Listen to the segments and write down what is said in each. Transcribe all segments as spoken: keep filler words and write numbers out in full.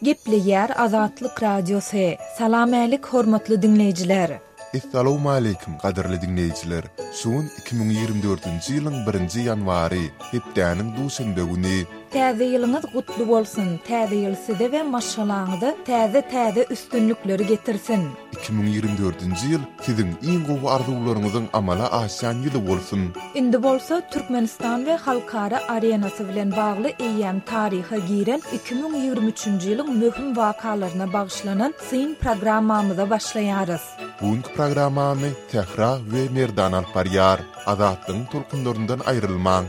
Gepleýär Azatlyk Radiosy. Salam älik hormatly diňleýjiler. Essalawmaleýkim gadyrly diňleýjiler. Şu gün iki müň ýigrimi dördünji ýylyň birinji ýanwary, hepdäniň duşenbe güni. Täze ýylyňyz gutly bolsun. Täze ýyl size we maşgalaňyza täze-täze üstünlikleri getirsin. Iki müň ýigrimi dördünji ýyl siziň iň gowy arzuwlaryňyzyň amala aşýan ýyly bolsun. Indi bolsa Türkmenistan we halkara arenasy bilen bagly eýýäm taryha giren iki müň ýigrimi üçünji ýylyň möhüm wakalaryna bagyşlanan syn programmamyza başlaýarys. Bugünkü programmany Sähra we Merdan alyp barýar. Azatlygyň tolkunlaryndan aýrylmaň.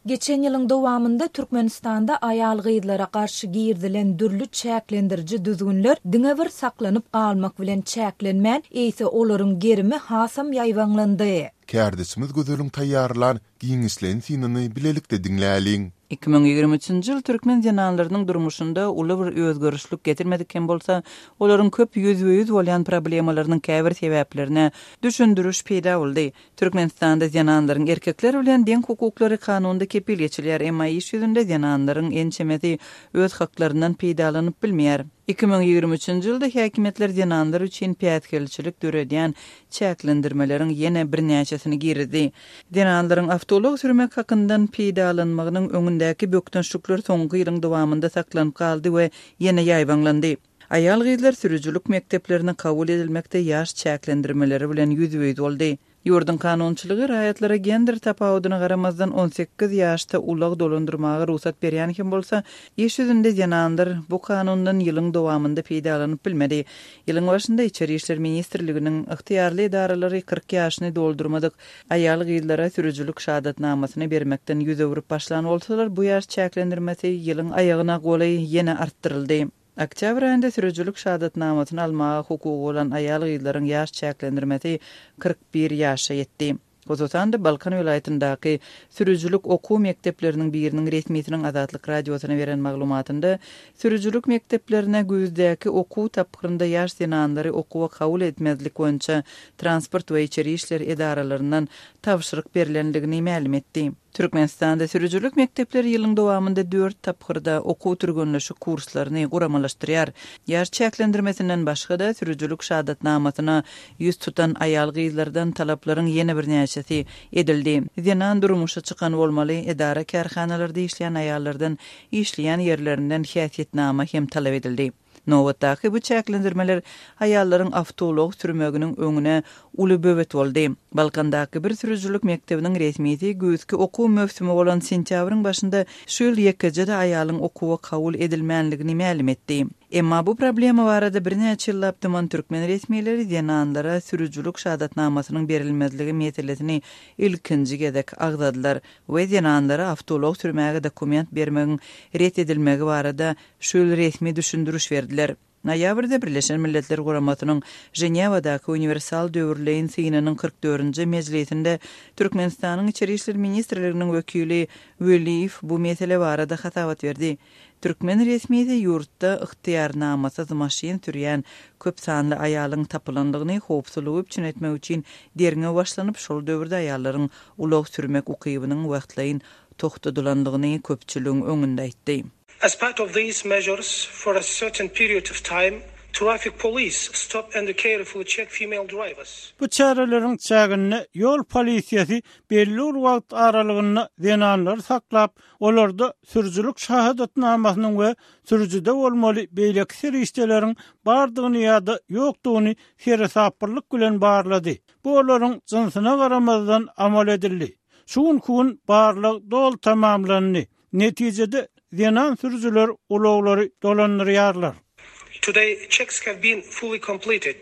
Geçen ýylyň dowamynda Türkmenistanda aýal-gyzlara garşy girizilen dürli çäklendiriji düzgünler diňe bir saklanyp galmak bilen çäklenmän, eýse olaryň gerimi hasam ýaýbaňlandy. Kärdeşimiz Gözeliň taýýarlan giňişleýin synyny bilelikde diňläliň. Iki müň ýigrimi üçünji ýyl türkmen zenanlarynyň durmuşynda uly bir özgerişlik getirmedik hem bolsa, olaryň köp ýüzbe-ýüz bolýan problemalarynyň käbir sebäplerine düşündiriş peýda boldy. Türkmenistanda zenanlaryň erkekler bilen deň hukuklary kanunda kepil geçilýär, emma iş ýüzünde zenanlaryň ençemesi öz haklaryndan peýdalanyp bilmeýär. Iki müň ýigrimi üçünji ýylda häkimiýetler zenanlar üçin päsgelçilik döredýän çäklendirmeleriň ýene birnäçesini girizdi. Zenanlaryň awtoulag sürmek hakyndan peýdalanmagynyň öňündäki bökdençlikler soňky ýylyň dowamynda saklanyp galdy we ýene ýaýbaňlandy. Aýal-gyzlar sürüjilik mekdeplerine kabul edilmekde ýaş çäklendirmeleri bilen ýüzbe-ýüz boldy. Ýurduň kanunçylygy raýatlara gender tapawudyna garamazdan on sekiz ýaşda ulag dolandyrmaga rugsat berýän hem bolsa, iş ýüzünde zenanlar bu kanundan ýylyň dowamynda peýdalanyp bilmedi. Ýylyň başynda Içeri işler ministrliginiň ygtyýarly edaralary kyrk ýaşyny doldurmadyk aýal-gyzlara sürüjilik şahadatnamasyny bermekden ýüz öwrüp başlan bolsalar, bu ýaş çäklendirmesi ýylyň aýagyna golaý ýene artdyryldy. Oktýabr aýynda sürüjilik şahadatnamasyny almaga hukugy bolan aýal-gyzlaryň ýaş çäklendirmesi kyrk bir ýaşa ýetdi. Hususan-da Balkan welaýatyndaky sürüjilik okuw mekdepleriniň biriniň resmisiniň Azatlyk radiosyna beren maglumatynda sürüjilik mekdeplerine güýzdäki okuw tapgyrynda ýaş zenanlary okuwa kabul etmezlik boýunça transport we içeri işler edaralaryndan tabşyryk berilendigini mälim etdi. Türkmenistanda sürüjilik mekdepleri ýylyň dowamynda dört tapgyrda okuw türgenleşik kurslaryny guramalaşdyrýar. Ýaş çäklendirmesinden başga-da sürüjilik şahadatnamasyna ýüz tutan aýal-gyzlardan talaplaryň ýene birnäçesi edildi. Zenan durmuşa çykan bolmaly, edara kärhanalarda işleýän aýallardan işleýän ýerlerinden häsiýetnama hem talap edildi. Nobatdaky bu çäklendirmeler aýallaryň awtoulag sürmeginiň öňüne uly böwet boldy. Balkandaky bir sürüjilik mekdebiniň resmisi güýzki okuw möwsümi bolan sentýabryň başynda şu ýyl ýekeje-de aýalyň okuwa kabul edilmänligini mälim etdi. Emma bu problema barada birnäçe ýyllap dyman türkmen resmileri zenanlara sürüjilik şahadatnamasynyň berilmezligi meselesini ilkinji gezek agzadylar we zenanlara awtoulag sürmäge dokument bermegiň ret edilmegi barada şu ýyl resmi düşündiriş berdiler. Noýabrda Birleşen Milletler Guramasynyň Ženewadaky Uniwersal döwürleýin synynyň kyrk dördünji mejlisinde Türkmenistanyň Içeri işler ministrliginiň wekili Weliýew bu mesele barada hasabat berdi. Türkmen resmisi ýurtda ygtyýarnamasyz maşyn sürýän köp sanly aýalyň tapylandygyny howpsuzlygy üpjün etmek üçin derňew başlanyp, şol döwürde aýallaryň ulag sürmek ukybynyň wagtlaýyn toxtadylandygyny köpçüligiň öňünde aýtdy. As part of these measures, for a certain period of time, traffic police stop and carefully check female drivers. Bu çäreleriň çäginde ýol polisiýasy belli bir wagt aralygynda zenanlary saklap, olarda sürüjilik şahadatnamasynyň we sürüjide bolmaly beýleki serişdeleriň bardygyny ýa-da ýokdugyny seresaplylyk bilen barlady. Bu olaryň jynsyna garamazdan amal edildi. Şu günkü gün barlag doly tamamlandy. Netijede zenan sürüjiler ulaglary dolandyrýarlar. Today checks have been fully completed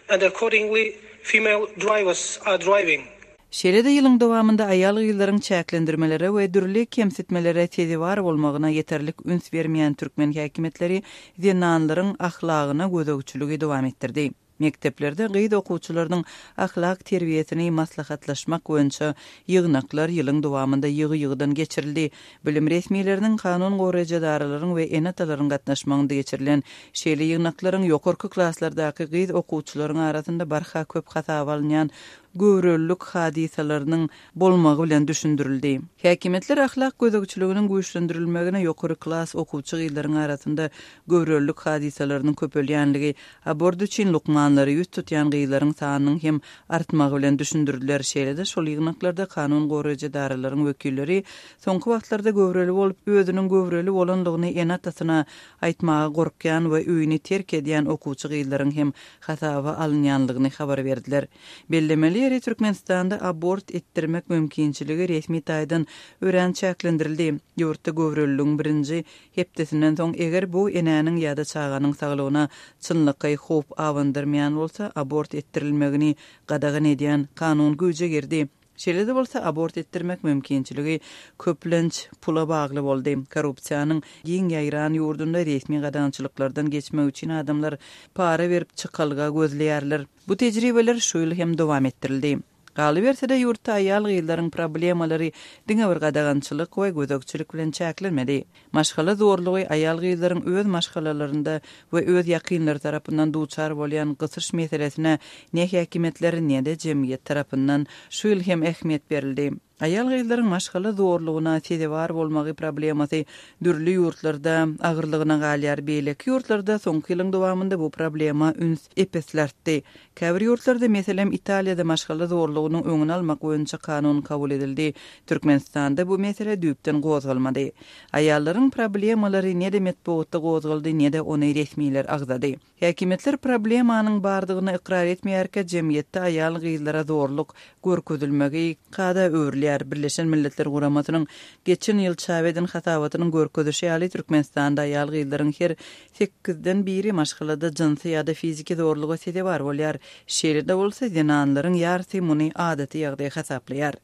and accordingly female drivers are driving. Şeýle-de ýylyň dowamynda aýal-gyzlaryň çäklendirmelere we dürli kemsitmelere sezewar bolmagyna ýeterlik üns bermeýän türkmen häkimiýetleri zenanlaryň ahlagyna gözegçiligi dowam etdirdi. Mekdeplerde gyz okuwçylarynyň ahlak terbiýesini maslahatlaşmak boýunça ýygnaklar ýylyň dowamynda ýygy-ýygydan geçirildi. Bilim resmileriniň, kanun goraýjy edaralaryň we ene-atalaryň gatnaşmagynda geçirilen şeýle ýygnaklaryň ýokarky klaslardaky gyz okuwçylaryň arasynda barha köp hasaba alynýan göwrelilik hadysalarynyň bolmagy bilen düşündirildi. Häkimiýetler ahlak gözegçiliginiň güýçlendirilmegine ýokary klas okuwçy gyzlaryň arasynda göwrelilik hadysalarynyň köpelýänligi, abort üçin lukmanlary ýüz tutýan gyzlaryň sanynyň hem artmagy bilen düşündirdiler. Şeýle-de şol ýygnaklarda kanun goraýjy edaralaryň wekilleri soňky wagtlarda göwreli bolup, özüniň göwreli bolanlygyny ene-atasyna aýtmaga gorkýan we öýüni terk edýän okuwçy gyzlaryň hem hasaba alynýanlygyny habar berdiler. Bellemeli ýeri Türkmenistanda abort etdirmek mümkinçiligi resmi taýdan örän çäklendirildi. Ýurtda göwreliligiň birinji hepdesinden soň eger bu enäniň ýa-da çaganyň saglygyna çynlakaý howp abandyrmaýan bolsa, abort etdirilmegini gadagan edýän kanun güýje girdi. Şeýle-de bolsa abort etdirmek mümkinçiligi köplenç pula bagly boldy. Korrupsiýanyň giň ýaýran ýurdunda resmi gadagançylyklardan geçmek üçin adamlar para berip çykalga gözleýärler. Bu tejribeler şu ýyl hem dowam etdirildi. Galyberse-de ýurtda aýal gyzlaryň problemalary diňe bir gadagançylyk we gözegçilik bilen çäklenmedi. Maşgala zorlugy aýal gyzlaryň öz maşgalalarynda we öz ýakynlary tarapyndan duçar bolýan gysyş meselesine ne häkimiýetler ne-de jemgyýet tarapyndan şu ýyl hem ähmiýet berildi. Aýal gyzlaryň maşgala zorlugyna sezewar bolmagy problemasy dürli ýurtlarda agyrlygyna galýar. Beýleki ýurtlarda soňky ýylyň dowamynda bu problema üns epesli artdy. Käbir ýurtlarda, meselem, Italiýada maşgala zorlugynyň öňüni almak boýunça kanun kabul edildi. Türkmenistanda bu mesele düýpden gozgalmady. Aýallaryň problemalary ne-de metbugatda gozgaldy, ne-de ony resmiler agzady. Häkimiýetler problemanyň bardygyny ykrar etmeýärkä jemgyýetde aýal gyzlara zorluk görkezilmegi kada öwrülýär. Birleşen Milletler Guramasynyň geçen ýyl çap eden hasabatynyň görkezişi ýaly Türkmenistanda aýal gyzlaryň her sekizden biri maşgalada jynsy ýa-da fiziki zorluga sezewar bolýar. Şeýle-de bolsa zenanlaryň ýarysy muny adaty ýagdaý hasaplaýar.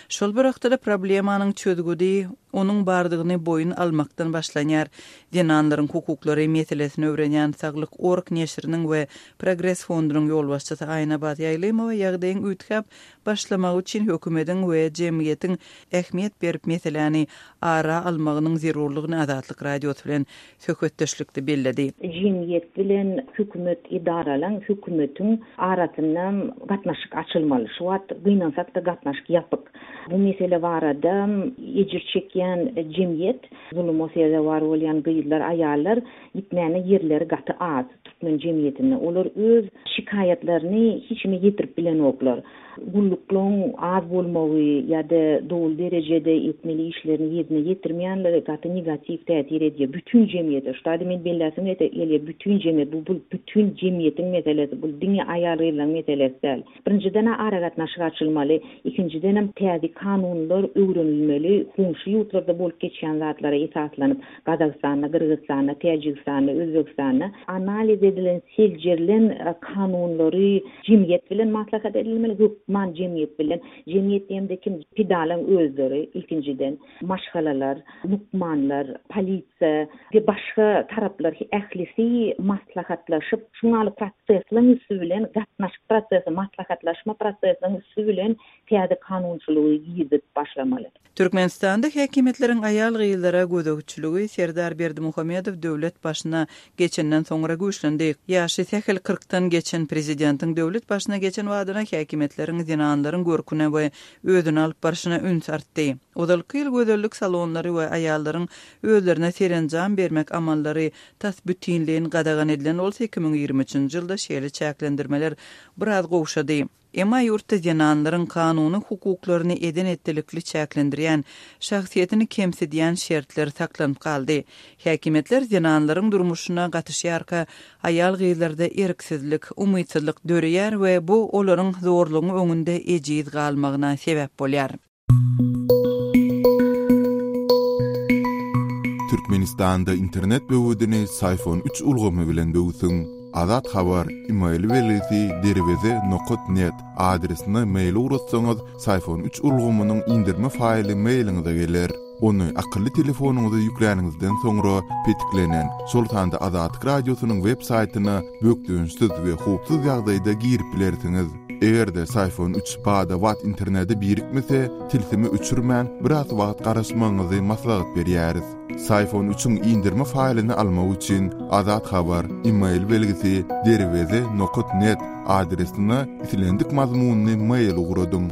Şol bir wagtda problemanyň çözgüdi onuň bardygyny boýun almakdan başlanýar. Zenanlaryň hukuklary meselesini öwrenýän Saglyk Org neşiriniň we Progres fondunyň ýolbaşçysy Aýnabat Ýaýlymowa ýagdaýyň üýtgäp başlamagy üçin hökümetiň we jemgyýetiň ähmiýet berip meseläni ara almagynyň zerurlygyny Azatlyk Radiosy bilen söhbetdeşlikde belledi. Jemgyýet bilen hökümet idaralaryň, hökümetiň arasynda gatnaşyk açylmaly. Şu wagt gynansak da gatnaşyk ýapyk. Bu mesele barada ejir çekýän jemgyýet, zuluma sezewar bolýan gyzlar, aýallar gitmäne ýerleri gaty az türkmen jemgyýetinde. Olar öz şikaýatlaryny hiç kime ýetirip bilenoklar. Gulluklaryň az bolmagy ýa-da doly derejede etmeli işlerini ýerine ýetirmeýänleri gaty negatiw täsir edýär bütün jemgyýete. Şu taýda men belläsim gelýär, bütün jemgyýet, bu, bu bütün jemgyýetiň meselesi, bu diňe aýal gyzlaryň meselesi däl. Birinjiden aragatnaşyk açylmaly, ikinjiden hem täze kanunlar öwrenilmeli, goňşy ýurtlarda bolup geçýän zatlara esaslanyp, Gazagystanda, Gyrgyzystanda, Täjigistanda, Özbegistanda analiz edilen, seljerilen, e, kanunlary jemgyýet bilen maslahat edilmeli, hökman jemgyýet bilen. Jemgyýet diýemde kim? Pidalaryň özleri ilkinjiden, maşgalalar, lukmanlar, polisiýa we başga taraplar ählisi maslahatlaşyp, şuňaly prosesleriň üstü bilen, gatnaşyk prosesi, maslahatlaşma prosesiniň üstü bilen täze kanunçylygy girizip başlamaly. Türkmenistanda häkimiýetleriň aýal gyzlara gözegçiligi Serdar Berdimuhamedow döwlet başyna geçenden soňra güýçlendi. Ýaşy sähel kyrkdan geçen prezidentiň döwlet başyna geçen badyna häkimiýetleriň zenanlaryň görküne we özüni alyp barşyna üns artdy. Ozalky ýyl gözellik salonlary we aýallaryň özlerine serenjam bermek amallary tas bütinleýin gadagan edilen bolsa iki müň ýigrimi üçünji ýylda şeýle çäklendirmeler biraz gowşady. Emma ýurtda zenanlaryň kanuny hukuklaryny eden etdilikli çäklendirýän, şahsyýetini kemsidýän şertler saklanyp galdy. Häkimiýetler zenanlaryň durmuşyna gatyşýarka aýal gyzlarda erksizlik, umytsyzlyk döreýär we bu olaryň zorlugyň öňünde ejiz galmagyna sebäp bolýar. Türkmenistanda internet böwedini Syfon üç ulgamy bilen böwsüň. Azat Habar e-mail belgisi derweze nokat net adresine mail ugratsaňyz, Syfon üç ulgamynyň indirme faýly mailiňize geler. Ony akylly telefonyňyza ýükläniňizden soňra petiklenen, şol sanda Azatlyk Radiosynyň web saýtyna bökdençsiz we howpsuz ýagdaýda girip bilersiňiz. Eger-de Psiphon üç bada-bat internete birikmese, tilsimi öçürmän, biraz wagt garaşmagyňyzy maslahat berýäris. Psiphon üçüň indirme faýlyny almak üçin Azat Habar e-mail belgisi derweze nokat net adresine islendik mazmunyny mail ugradyň.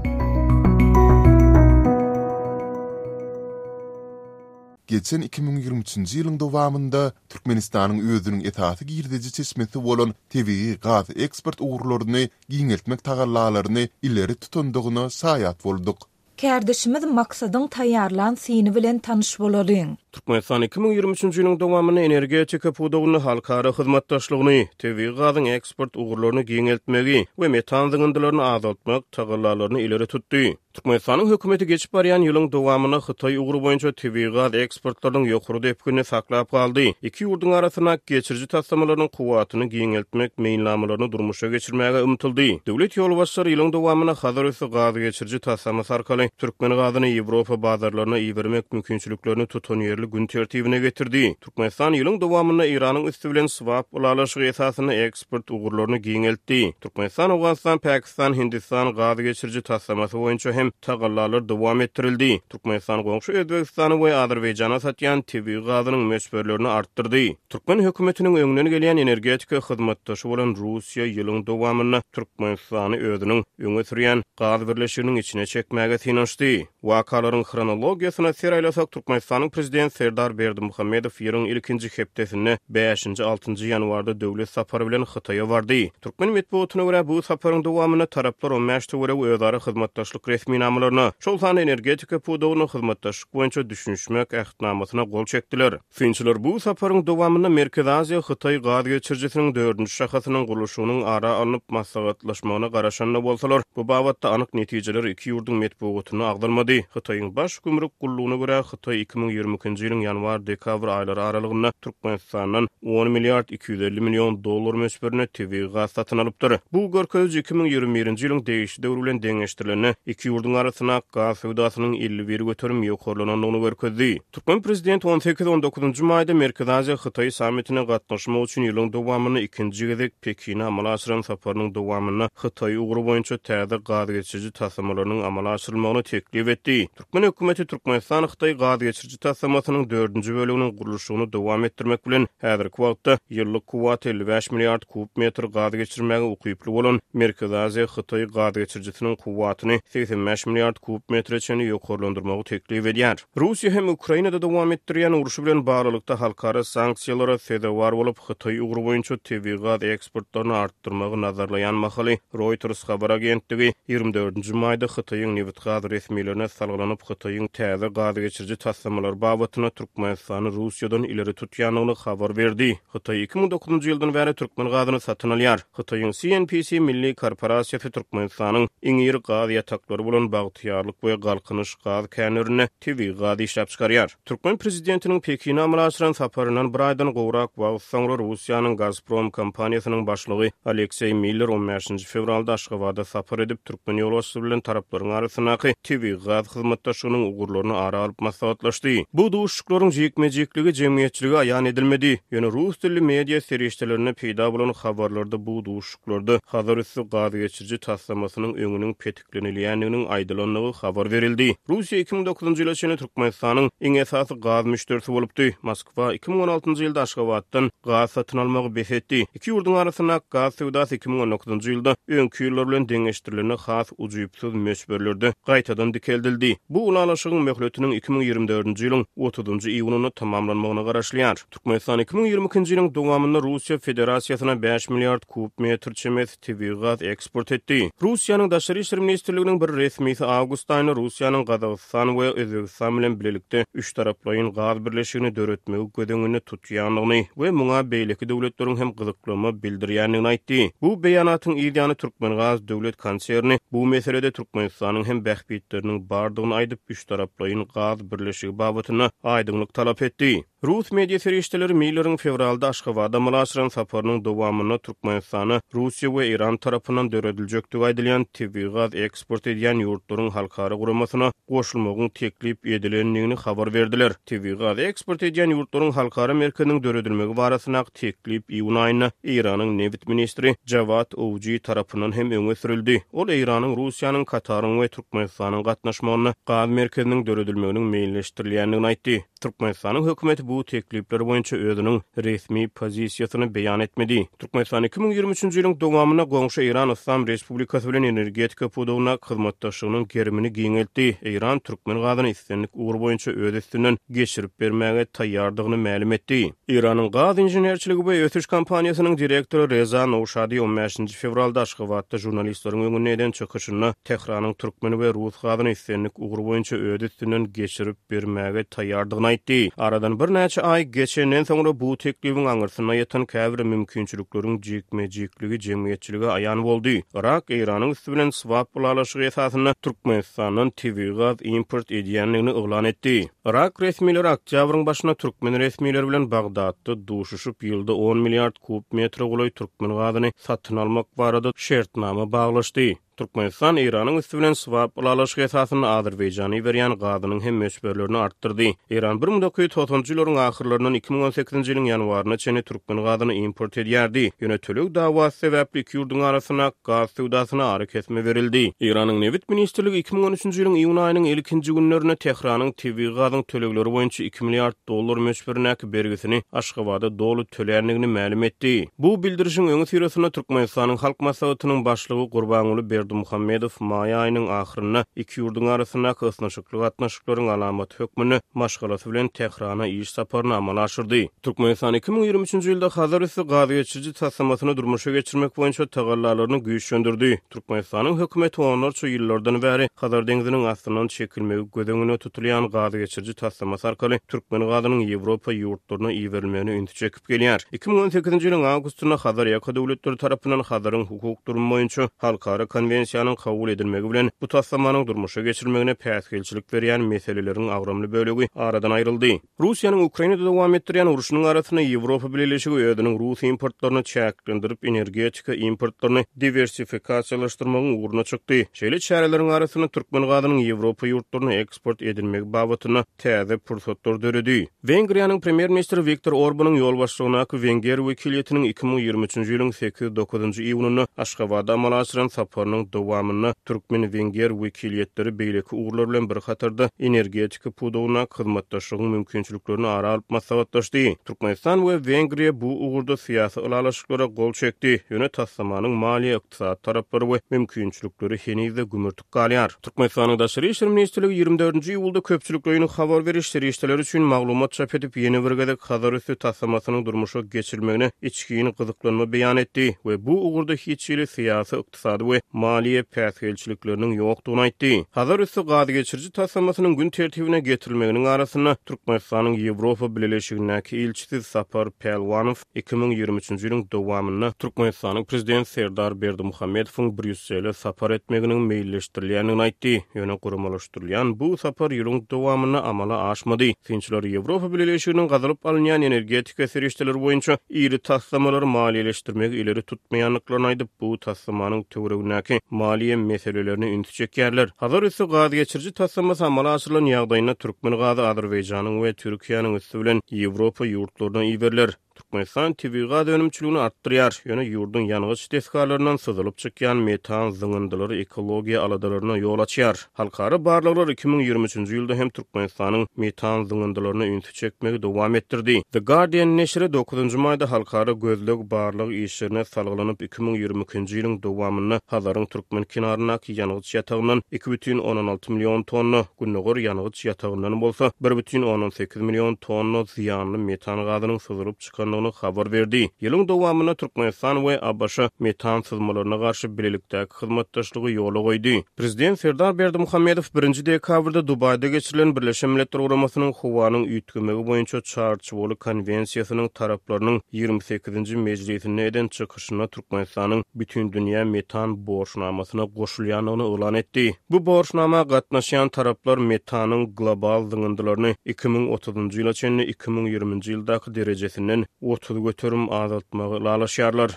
Geçen iki müň ýigrimi üçünji ýylyň dowamynda Türkmenistanyň özüniň esasy girdeji çeşmesi bolan tebigy gaz eksport ugurlaryny giňeltmek tagallalaryny ileri tutandygyna şaýat bolduk. Kärdeşimiz Maksadyň taýýarlan syny bilen tanyş bolalyň. Türkmenistan iki müň ýigrimi üçünji ýylyň dowamynda energetika pudagynda halkara hyzmatdaşlygyny, tebigy gazyň eksport ugurlaryny giňeltmegi we metan zyňyndylaryny azaltmak tagallalaryny ileri tutdy. Türkmenistanyň hökümeti geçip barýan ýylyň dowamynda Hytaý ugry boýunça tebigy gaz eksportlarynyň ýokary depginini saklap galdy. Iki ýurduň arasynda geçiriji taslamalarynyň kuwwatyny giňeltmek meýilnamalaryny durmuşa geçirmäge ymtyldy. Döwlet ýolbaşçylary ýylyň dowamynda Hazar üsti gaz geçiriji taslamasy arkaly türkmen gazyny Ýewropa bazarlaryna ibermek mümkinçiliklerini tutanýerli gün tertibine getirdi. Türkmenistan ýylyň dowamynda Eýranyň üsti bilen swap ylalaşygy esasynda eksport ugurlaryny giňeltdi. Türkmenistan, Owganystan, Pakistan, Hindistan gaz geçiriji taslamasy boýunça hem tagallalar dowam etdirildi. Türkmenistan goňşy Özbegistana we Azerbaýjana satýan tebigy gazynyň möçberlerini artdyrdy. Türkmen hökümetiniň öňünden gelýän energetika hyzmatdaşy bolan Russiýa ýylyň dowamynda Türkmenistany özüniň öňe sürýän gaz birleşiginiň içine çekmäge synanyşdy. Wakalaryň hronologiýasyna ser aýlasak, Türkmenistanyň prezident Serdar Berdimuhamedow ýylyň ilkinji hepdesinde bäşinji, altynjy ýanwarda döwlet sapary bilen Hytaýa bardy. Türkmen metbugatyna görä bu saparyň dowamynda taraplar on bäş töweregi özara hyzmatdaşlyk resminamalaryna, şol sanda energetika pudagyna hyzmatdaşlyk boýunça düşünişmek ähtnamasyna gol çekdiler. Synçylar bu saparyň dowamynda Merkezi Aziýa Hytaý gaz geçirijisiniň dördünji şahasynyň gurluşygynyň ara alnyp maslahatlaşmagyna garaşanda bolsalar, bu babatda anyk netijeler iki ýurduň metbugatyna agzalmady. Hytaýyň baş gümrük gullugyna görä Hytaý iki müň ýigrimi ikinji ýylyň ýanwar-dekabr aýlary aralygynda Türkmenistandan on milliard iki ýüz elli million dollar möçberinde tebigy gaz satyn alypdyr. Bu görkeziji iki müň ýigrimi birinji ýylyň degişli döwri bilen deňeşdirilende iki ýurduň arasynda gaz söwdasynyň elli bir göterim ýokarlanandygyny görkezdi. Türkmen prezidenti on sekiz on dokuzynjy maýda Merkezi Aziýa Hytaý sammitine gatnaşmak üçin ýylyň dowamynda ikinji gezek Pekine amala aşyran saparynyň dowamynda Hytaý ugry boýunça täze gaz geçiriji taslamalarynyň amala aşyrylmagyny teklip etdi. Türkmen hökümeti Türkmenistan Hytaý gaz geçiriji taslamasynyň dördünji böleginiň gurluşygyny dowam etdirmek bilen häzirki wagtda ýyllyk kuwwat elli bäş milliard kub metr gaz geçirmäge ukyply bolan Merkezi Aziýa Hytaý gaz geçirijisiniň kuwwatyny segsen bäş milliard kub metre çenli ýokarlandyrmagy teklip edýär. Russiýa hem Ukrainada dowam etdirýän urşy bilen baglylykda halkara sanksiýalara sezewar bolup Hytaý ugry boýunça tebigy gaz eksportlaryny artdyrmagy nazarlaýan mahaly Reuters habar agentligi ýigrimi dördünji maýda Hytaýyň nebit-gaz resmilerine salgylanyp Hytaýyň täze gaz geçiriji taslamalar babatynda Türkmenistany Russiýadan ileri tutýandygyny habar berdi. Hytaý iki müň dokuzynjy ýyldan bäri türkmen gazyny satyn alýar. Hytaýyň C N P C Milli Korporasiýasy Türkmenistanyň iň iri gaz ýataklary bolan Bagtyýarlyk we Galkynyş gaz känlerinde tebigy gaz işläp çykarýar. Türkmen prezidentiniň Pekine amala aşyran saparyndan bir aýdan gowrak wagt soňra Russiýanyň Gazprom kompaniýasynyň başlygy Alekseý Miller on bäşinji fewralda Aşgabada sapar edip türkmen ýolbaşçysy bilen taraplaryň arasyndaky tebigy gaz hyzmatdaşlygynyň ugurlaryny ara alyp maslahatlaşdy. Bu duşuşyklaryň jikme-jikligi jemgyýetçilige aýan edilmedi. Ýöne rus dilli media serişdelerinde peýda bolan habarlarda bu duşuşyklarda Hazar üsti gaz geçiriji taslamasynyň öňüniň petiklenilýändiginiň aýdylandygy habar berildi. Russiýa iki müň dokuzynjy ýyla çenli Türkmenistanyň iň esasy gaz müşderisi bolupdy. Moskwa iki müň on altynjy ýylda Aşgabatdan gaz satyn almagy bes etdi. Iki ýurduň arasynda gaz söwdasy iki müň on dokuzynjy ýylda öňki ýyllar bilen deňeşdirilende has ujypsyz möçberlerde gaýtadan dikeldildi. Bu ylalaşygyň möhletiniň iki müň ýigrimi dördünji ýylyň otuzynjy iýunynda tamamlanmagyna garaşylýar. Türkmenistan iki müň ýigrimi ikinji ýylyň dowamynda Russiýa Federasiýasyna bäş milliard kub metr çemesi tebigy gaz eksport etdi. Russiýanyň Daşary işler ministrliginiň bir resmisi awgust aýynda Russiýanyň Gazagystan we Özbegistan bilen birlikde üç taraplaýyn gaz birleşigini döretmegi göz öňünde tutýandygyny we muňa beýleki döwletleriň hem gyzyklanma bildirýändigini aýtdy. Bu beýanatyň ýany Türkmengaz döwlet konserni bu meselede Türkmenistanyň hem bähbitleriniň bardygyny aýdyp üç taraplaýyn gaz birleşigi babatynda aýdyňlyk talap etdi. Rus media serişdeleri Milleriň fewralda Aşgabada amala aşyran saparynyň dowamynda Türkmenistana Russiýa we Eýran tarapyndan dörediljekdigi aýdylýan tebigy gaz eksport edýän ýurtlaryň halkara guramasyna goşulmagyň teklip edilendigini habar berdiler. Tebigy gaz eksport edýän ýurtlaryň halkara merkeziniň döredilmegi barasyndaky teklip iýun aýynda Eýranyň nebit ministri Jawad Owji tarapyndan hem öňe sürüldi. Ol Eýranyň, Russiýanyň, Kataryň we Türkmenistanyň gatnaşmagynda gaz merkeziniň döredilmeginiň meýilleşdirilýändigini aýtdy. Türkmenistanyň hökümeti bu teklipler boýunça özüniň resmi pozisiýasyny beýan etmedi. Türkmenistan iki müň ýigrimi üçünji ýylyň dowamynda goňşy Eýran Yslam Respublikasy bilen energetika pudagynda hyzmatdaşlygynyň gerimini giňeltdi. Eýran türkmen gazyny islendik ugur boýunça öz üstünden geçirip bermäge taýýardygyny mälim etdi. Eýranyň gaz inženerçiligi we ösüş kompaniýasynyň direktory Reza Nowşadi on bäşinji fewralda Aşgabatda žurnalistleriň öňünde eden çykyşynda Tähranyň türkmen we rus gazyny islendik ugur boýunça öz üstünden geçirip bermäge taýýardygyny aýtdy. Aradan birnäçe aý geçenden soňra bu teklibiň aňyrsynda ýatan käbir mümkinçilikleriň jikme-jikligi jemgyýetçilige aýan boldy. Yrak Eýranyň üsti bilen swap ylalaşygy esasynda Türkmenistandan tebigy gaz import edýändigini yglan etdi. Yrak resmileri oktýabryň başynda türkmen resmileri bilen Bagdatda duşuşyp, ýylda on milliard kub metre golaý türkmen gazyny satyn almak barada şertnama baglaşdy. Türkmenistan Eýranyň üsti bilen swap ylalaşygy esasynda Azerbaýjana iberýän gazynyň hem möçberlerini artdyrdy. Eýran bir müň dokuz ýüz togsanjy ýyllaryň ahyrlaryndan iki müň on sekizinji ýylyň ýanwaryna çenli türkmen gazyny import edýärdi. Ýöne töleg dawasy sebäpli iki ýurduň arasynda gaz söwdasyna arakesme berildi. Eýranyň nebit ministrligi iki müň on üçünji ýylyň iýun aýynyň ilkinji günlerinde Tähranyň tebigy gazyň tölegleri boýunça iki milliard dollar möçberindäki bergisini Aşgabada doly töländigini mälim etdi. Bu bildirişiň öňüsyrasynda Türkmenistanyň Halk Maslahatynyň başlygy Gurbanguly Berdimuhamedow maý aýynyň ahyrynda iki ýurduň arasyndaky ysnyşykly gatnaşyklaryň alamaty hökmünde maşgalasy bilen Tährana iş saparyny amala aşyrdy. Türkmenistan iki müň ýigrimi üçünji ýylda Hazar üsti gaz geçiriji taslamasyny durmuşa geçirmek boýunça tagallalaryny güýçlendirdi. Türkmenistanyň hökümeti onlarça ýyllardan bäri Hazar deňziniň astyndan çekilmegi göz öňünde tutulýan gaz geçiriji taslamasy arkaly türkmen gazynyň Ýewropa ýurtlaryna iberilmegine ünsi çekip gelýär. Iki müň on sekizinji ýylyň awgustynda Hazar ýaka döwletleri tarapyndan Hazaryň hukuk durumy boýunça halkara konwensiýanyň kabul edilmegi bilen bu taslamanyň durmuşa geçirilmegine päsgelçilik berýän meseleleriň agramly bölegi aradan aýryldy. Russiýanyň Ukrainada dowam etdirýän urşunyň arasynda Ýewropa Bileleşigi özüniň rus importlaryny çäklendirip, energetika importlaryny diwersifikasiýalaşdyrmagyň ugruna çykdy. Şeýle çäreleriň arasynda türkmen gazynyň Ýewropa ýurtlaryna eksport edilmegi babatynda täze pursatlar döredi. Wengriýanyň premýer-ministri Wiktor Orbanyň ýolbaşçylygyndaky wenger wekiliýetiniň iki müň ýigrimi üçünji ýylyň sekiz-dokuzynjy iýunynda Aşgabada amala aşyran saparynyň dowamynda türkmen-wenger wekiliýetleri beýleki ugurlar bilen bir hatarda energetika pudagyndaky hyzmatdaşlygyň mümkinçiliklerini ara alyp maslahatlaşdy. Türkmenistan we Wengriýa bu ugurda syýasy ylalaşyklara gol çekdi. Ýöne taslamanyň maliýe, ykdysady taraplary we mümkinçilikleri heniz-de gümürtik galýar. Türkmenistanyň Daşary işler ministrligi ýigrimi dördünji iýulda köpçülikleýin habar beriş serişdeleri üçin maglumat çap edip, ýene bir gezek Hazar üsti taslamasynyň durmuşa geçirilmegine içgin gyzyklanma beýan etdi we bu ugurda hiç hili syýasy, ykdysady we maliýe päsgelçilikleriniň ýokdugyny aýtdy. Hazar üsti gaz geçiriji taslamasynyň gün tertibine getirilmeginiň arasynda Türkmenistanyň Ýewropa Bileleşigindäki ilçisi Sapar Pälwanow iki müň ýigrimi üçünji ýylyň dowamynda Türkmenistanyň prezidenti Serdar Berdimuhamedowyň Brýussele sapar etmeginiň meýilleşdirilýändigini aýtdy. Ýöne guramalaşdyrylýan bu sapar ýylyň dowamynda amala aşmady. Synçylar Ýewropa Bileleşiginiň gazylyp alynýan energetika serişdeleri boýunça iri taslamalary maliýeleşdirmegi ileri tutmaýandyklaryny aýdyp, bu taslamanyň töweregindäki maliýe meselelerine ünsi çekýärler. Hazar üsti gaz geçiriji taslamasy amala aşyrylan ýagdaýynda türkmen gazy Azerbaýjanyň we Türkiýäniň üsti bilen Ýewropa ýurtlaryna iberiler. Türkmenistan tebigy gaz önümçiligini artdyrýar, ýöne ýurduň ýangyç desgalaryndan syzylyp çykýan metan zyňyndylary ekologiýa aladalaryna ýol açýar. Halkara barlaglar iki müň ýigrimi üçünji ýylda hem Türkmenistanyň metan zyňyndylaryna ünsi çekmegi dowam etdirdi. The Guardian neşiri dokuzynjy maýda halkara gözleg barlag işlerine salgylanyp iki müň ýigrimi ikinji ýylyň dowamynda Hazaryň türkmen kenaryndaky ýangyç ýatagyndan iki bütin ondan alty million tonna, gündogar ýangyç ýatagyndan bolsa bir bütin ondan sekiz million tonna zyýanly metan gazynyň syzylyp çykan goşulýandygyny habar berdi. Ýylyň dowamynda Türkmenistan we A B Ş metan syzmalaryna garşy bilelikdäki hyzmatdaşlygy ýola goýdy. Prezident Serdar Berdimuhamedow birinji dekabrda Dubaýda geçirilen Birleşen Milletler Guramasynyň howanyň üýtgemegi boýunça Çarçuwaly konwensiýasynyň taraplarynyň ýigrimi sekizinji mejlisinde eden çykyşynda Türkmenistanyň Bütindünýä metan borçnamasyna goşulýandygyny yglan etdi. Bu borçnama gatnaşýan taraplar metanyň global zyňyndylaryny iki müň otuzynjy ýyla çenli iki müň ýigriminji ýyldaky derejesinden otuz göterim azaltmagy ylalaşýarlar.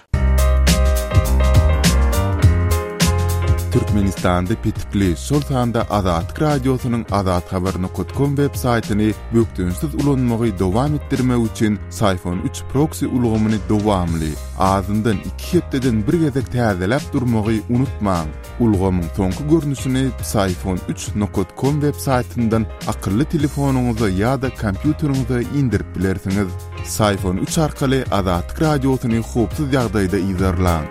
Türkmenistanda petikli, şol sanda Azatlyk Radiosynyň azathabar nokta com web saýtyny bökdençsiz ulanmagy dowam etdirmek üçin Psiphon üç proksi ulgamyny dowamly, azyndan iki hepdeden bir gezek täzeläp durmagy unutmaň. Ulgamyň soňky görnüşini Psiphon üç nokta com web saýtyndan akylly telefonyňyza ýa-da kompýuteriňize indirip bilersiňiz. Psiphon üç arkaly Azatlyk Radiosyny howpsuz ýagdaýda yzarlaň.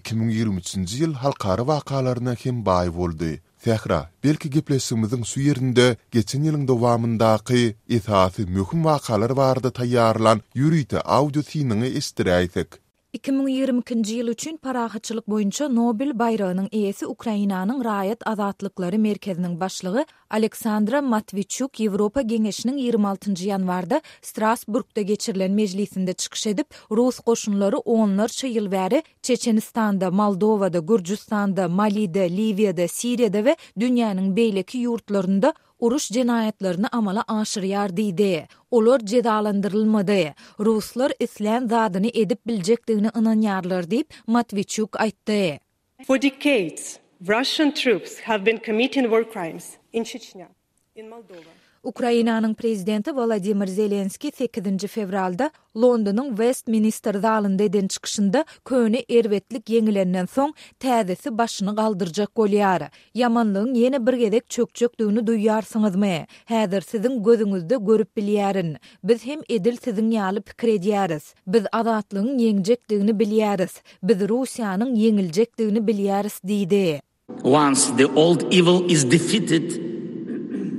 Iki müň ýigrimi üçünji ýyl halkara wakalaryna hem baý boldy. Sähra, belki gepleşigimiziň şu ýerinde geçen ýylyň dowamyndaky esasy möhüm wakalar barada taýýarlan ýörite audio synyňy eşitdiräýsek. Iki müň ýigrimi ikinji ýyl üçin parahatçylyk boýunça Nobel baýragynyň eýesi Ukrainanyň Raýat azatlyklary merkeziniň başlygy Aleksandra Matwiçuk Ýewropa Geňeşiniň ýigrimi altynjy ýanwarda Strasburgda geçirilen mejlisinde çykyş edip, rus goşunlary onlarça ýyl bäri Çeçenistanda, Moldowada, Gürjüstanda, Malide, Liwiýada, Siriýada we dünýäniň beýleki ýurtlarynda uruş jenaýatlaryny amala aşyrýar diýdi. Olar jezalandyrylmady. Ruslar islän zadyny edip biljekdigine ynanýarlar diýip, Matwiçuk aýtdy. For decades, Russian troops have been committing war crimes in Chechnya, in Moldova. Ukrainanyň prezidenti Wolodymyr Zelenski sekizinji fewralda Londonyň Westminster zalynda eden çykyşynda köne erbetlik ýeňilenden soň täzesi başyny galdyrjak bolýar. Ýamanlygyň ýene bir gezek çökjekdigini duýýarsyňyzmy? Häzir siziň gözüňizde görüp bilýärin. Biz hem edil siziň ýaly pikir edýäris. Biz azatlygyň ýeňjekdigini bilýäris. Biz Russiýanyň ýeňiljekdigini bilýäris diýdi. Once the old evil is defeated,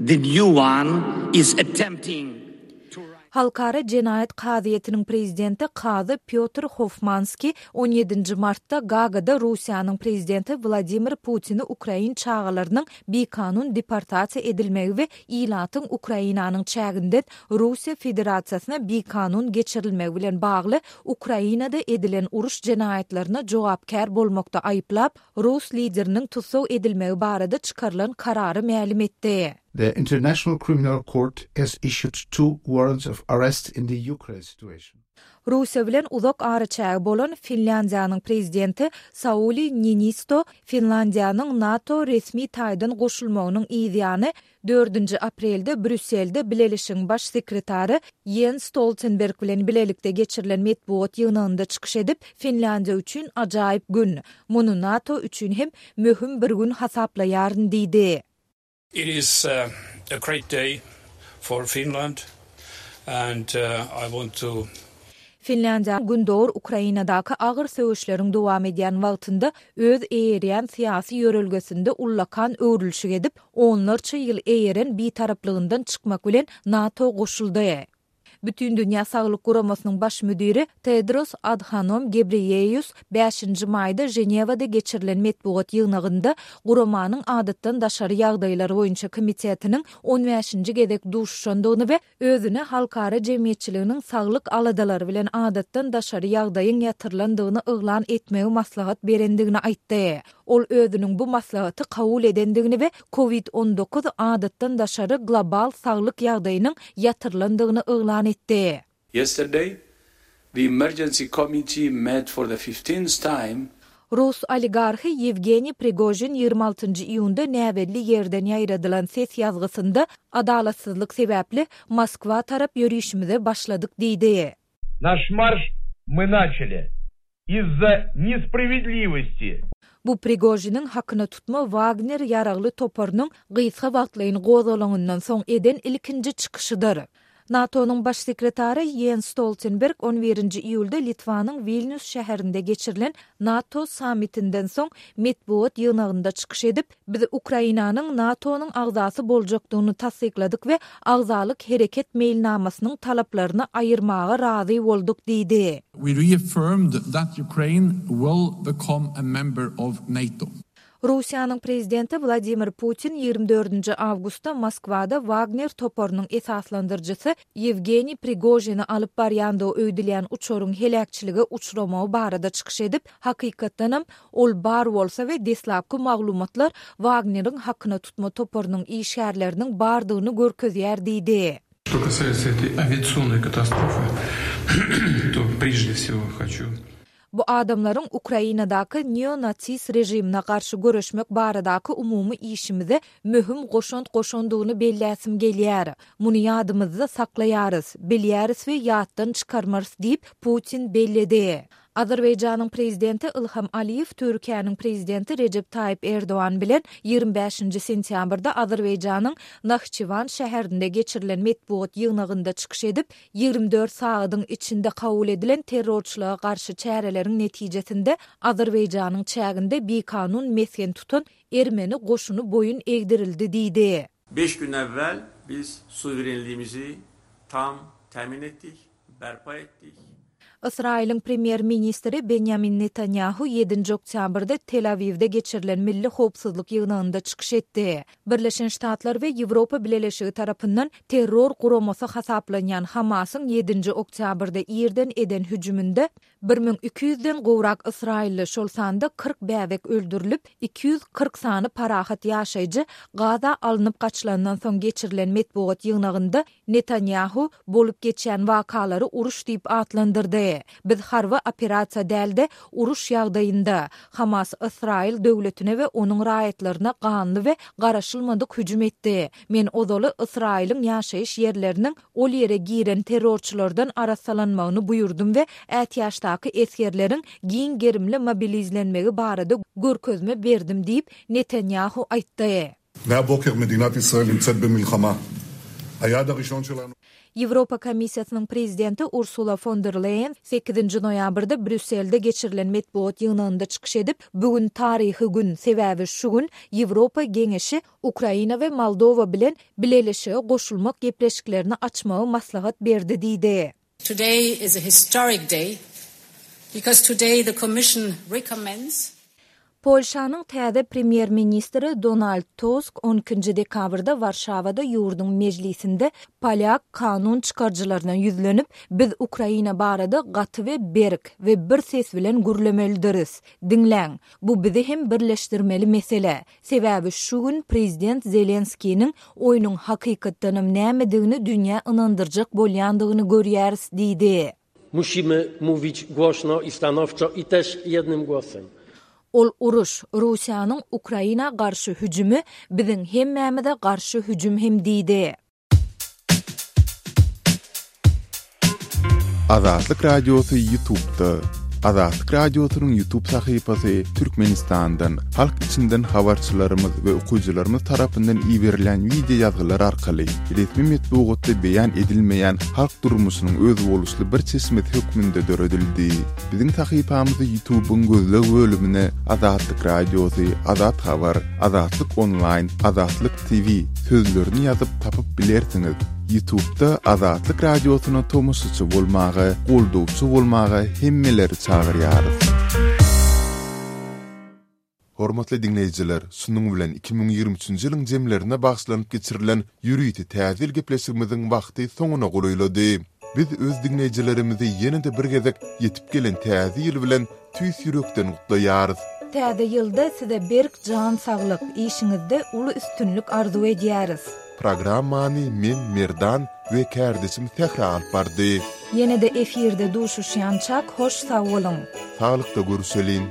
the new one is attempting to rise. Halkara jenaýat kazyýetiniň prezidenti kazy Pýotr Hofmanski on ýedinji martda Gagada Russiýanyň prezidenti Wladimir Putini ukrain çagalarynyň bikanun deportasiýa edilmegi we ilatyň Ukrainanyň çäginden Russiýa Federasiýasyna bikanun geçirilmegi bilen bagly Ukrainada edilen uruş jenaýatlaryna jogapkär bolmakda aýyplap, rus lideriniň tussag edilmegi barada çykarylan karary mälim etdi. The International Criminal Court has issued two warrants of arrest in the Ukraine situation. Russiýa bilen uzak araçägi bolan Finlýandiýanyň prezidenti Sauli Niinisto Finlýandiýanyň NATO resmi taýdan goşulmagynyň yzýany dördünji aprelde Brýusselde Bileleşigiň baş sekretary Jens Stoltenberg bilen bilelikde geçirilen metbugat ýygnagynda çykyş edip, Finlýandiýa üçin ajaýyp gün, muny NATO üçin hem möhüm bir gün hasaplaýaryn diýdi. It is a great day for Finland and I want to Finlýandiýa Gündogar Ukrainadaky agyr söweşleriň dowam edýän wagtynda öz eýerýän syýasy ýörelgesinde ullakan öwrülişik edip, onlarça ýyl eýeren bitaraplygyndan çykmak bilen NATO goşuldy. Bütindünýä Saglyk Guramasynyň baş müdiri Tedros Adhanom Ghebreyesus bäşinji maýda Ženewada geçirilen metbugat ýygnagynda guramanyň adatdan daşary ýagdaýlar boýunça komitetiniň on bäşinji gezek duşuşandygyny we özüne halkara jemgyýetçiliginiň saglyk aladalary bilen adatdan daşary ýagdaýyň ýatyrylandygyny yglan etmegi maslahat berendigini aýtdy. Ol özüniň bu maslahaty kabul edendigini we COVID on dokuz adatdan daşary global saglyk ýagdaýynyň ýatyrylandygyny yglan etdi. Yesterday, the emergency committee met for the fifteenth time. Rus oligarhy Ýewgeniý Prigožin ýigrimi altynjy iýunda näbelli ýerden ýaýradylan ses ýazgysynda adalatsyzlyk sebäpli Moskwa tarap ýörişimize başladyk diýdi. Naş marş мы начали из-за несправедливости. Bu Prigožiniň hakyna tutma Wagner ýaragly toparynyň gysga wagtlaýyn gozgalaňyndan soň eden ilkinji çykyşydyr. NATO-nyň baş sekretary Ýens Stoltenberg on birinji iýulda Litwanyň Wilnýus şäherinde geçirilen NATO sammitinden soň metbugat ýygnagynda çykyş edip, Biz Ukrainanyň NATO-nyň agzasy boljakdygyny tassykladyk we agzalyk hereket meýilnamasynyň talaplaryny aýyrmaga razy bolduk diýdi. We reaffirmed that Ukraine will become a member of NATO. Russiýanyň prezidenti Wladimir Putin ýigrimi dördünji awgustda Moskwada Wagner toparynyň esaslandyryjysy Ýewgeniý Prigožini alyp barýandygy öýdülýän uçaryň heläkçilige uçramagy barada çykyş edip, hakykatdanam, ol bar bolsa we deslapky maglumatlar Wagneriň hakyna tutma toparynyň işgärleriniň bardygyny görkezýär diýdi. Что касается этой авиационной катастрофы, то прежде всего хочу Bu adamlaryň Ukrainadaky neo-nasist režimine garşy göreşmek baradaky umumy işimize möhüm goşant goşandygyny belläsim gelýär. Muny ýadymyzda saklaýarys, bilýäris we ýatdan çykarmarys diýip, Putin belledi. Azerbaýjanyň Prezidenti Ilham Aliýew Türkiýäniň Prezidenti Rejep Taýyp Erdogan bilen ýigrimi bäşinji sentýabrda Azerbaýjanyň Nahçywan şäherinde geçirilen metbugat ýygnagynda çykyş edip, ýigrimi dört sagadyň içinde kabul edilen terrorçylyga garşy çäreleriň netijesinde Azerbaýjanyň çäginde bikanun mesgen tutan ermeni goşuny boýun egdirildi diýdi. Beş gün evvel biz suverenliğimizi tam temin ettik, berpa ettik. Ysraýylyň premýer-ministri Benýamin Netanýahu ýedinji oktýabrda Tel-Awiwde geçirilen Milli howpsuzlyk ýygnagynda çykyş etdi. Birleşen Ştatlar we Ýewropa Bileleşigi tarapyndan terror guramasy hasaplanýan Hamasyň ýedinji oktýabrda irden eden hüjüminde bir müň iki ýüzden gowrak ysraýylly, şol sanda kyrk bäbek öldürilip, iki ýüz kyrk sany parahat ýaşaýjy Gaza alnyp gaçylandan soň geçirilen metbugat ýygnagynda Netanýahu bolup geçýän wakalary uruş diýip atlandyrdy. Biz harby operasiýa däl-de, uruş ýagdaýynda. Hamas Ysraýyl döwletine we onuň raýatlaryna ganly we garaşylmadyk hüjüm etdi. Men ozaly Ysraýylyň ýaşaýyş ýerleriniň ol ýere giren terrorçylardan arassalanmagyny buýurdym we ätiýaçdaky esgerleriň giň gerimli mobilizlenmegi barada görkezme berdim diýip, Netanýahu aýtdy. מהבוקר מדינת ישראל נמצאת במלחמה. היעד הראשון שלנו Ýewropa Komissiýasynyň Prezidenti Ursula fon der Leýen sekizinji noýabrda Brýusselde geçirilen metbugat ýygnagynda çykyş edip, Bu gün taryhy gün, sebäbi şu gün Ýewropa Geňeşi Ukraina we Moldowa bilen Bileleşige goşulmak gepleşiklerini açmagy maslahat berdi diýdi. Today is a historic day because today the Commission recommends Polşanyň täze premýer-ministri Donald Tusk on ikinji dekabrda Warşawada ýurduň mejlisinde polýak kanun çykaryjylaryna ýüzlenip, Biz Ukraina barada gaty we berk we bir ses bilen gürlemelidiris. Diňläň, bu bizi hem birleşdirmeli mesele. Sebäbi şu gün prezident Zelenskiniň oýnuň hakykatdanam nämedigini dünýä ynandyrjak bolýandygyny görýäris diýdi. Musimy mówić głośno i stanowczo i też jednym głosem. Ol uruş, Russiýanyň Ukraina garşy hüjümi biziň hemmämize garşy hüjüm hem diýdi. Azatlyk Radiosy YouTube'da. Azatlyk Radiosynyň YouTube sahypasy Türkmenistandan, halk içinden habarçylarymyz we okyjylarymyz tarapyndan iberilen wideo ýazgylar arkaly resmi metbugatda beýan edilmeýän halk durmuşynyň özboluşly bir çeşmesi hökmünde döredildi. Biziň sahypamyzy YouTube'yň gözleg bölümine Azatlyk Radiosy, Azat Habar, Azatlyk Online, Azatlyk T V sözlerini ýazyp tapyp bilersiňiz. YouTube'da Azatlyk Radiosyna tomaşaçy bolmaga, goldawçy bolmaga hemmeleri çagyrýarys. Hormatly diňleýjiler, şunuň bilen iki müň ýigrimi üçünji ýylyň jemlerine bagyşlanyp geçirilen ýörite täze ýyl gepleşigimiziň wagty soňuna golaýlady. Biz öz diňleýjilerimizi ýene-de bir gezek ýetip gelen täze ýyl bilen tüýs ýürekden gutlaýarys. Täze ýylda size berk jan saglyk, işiňizde uly üstünlik arzuw edýäris. Programmany men Merdan we kardeşim Sähra alyp bardy. Ýene-de efirde duşuşýançak hoş sag boluň. Saglykda görüşeliň.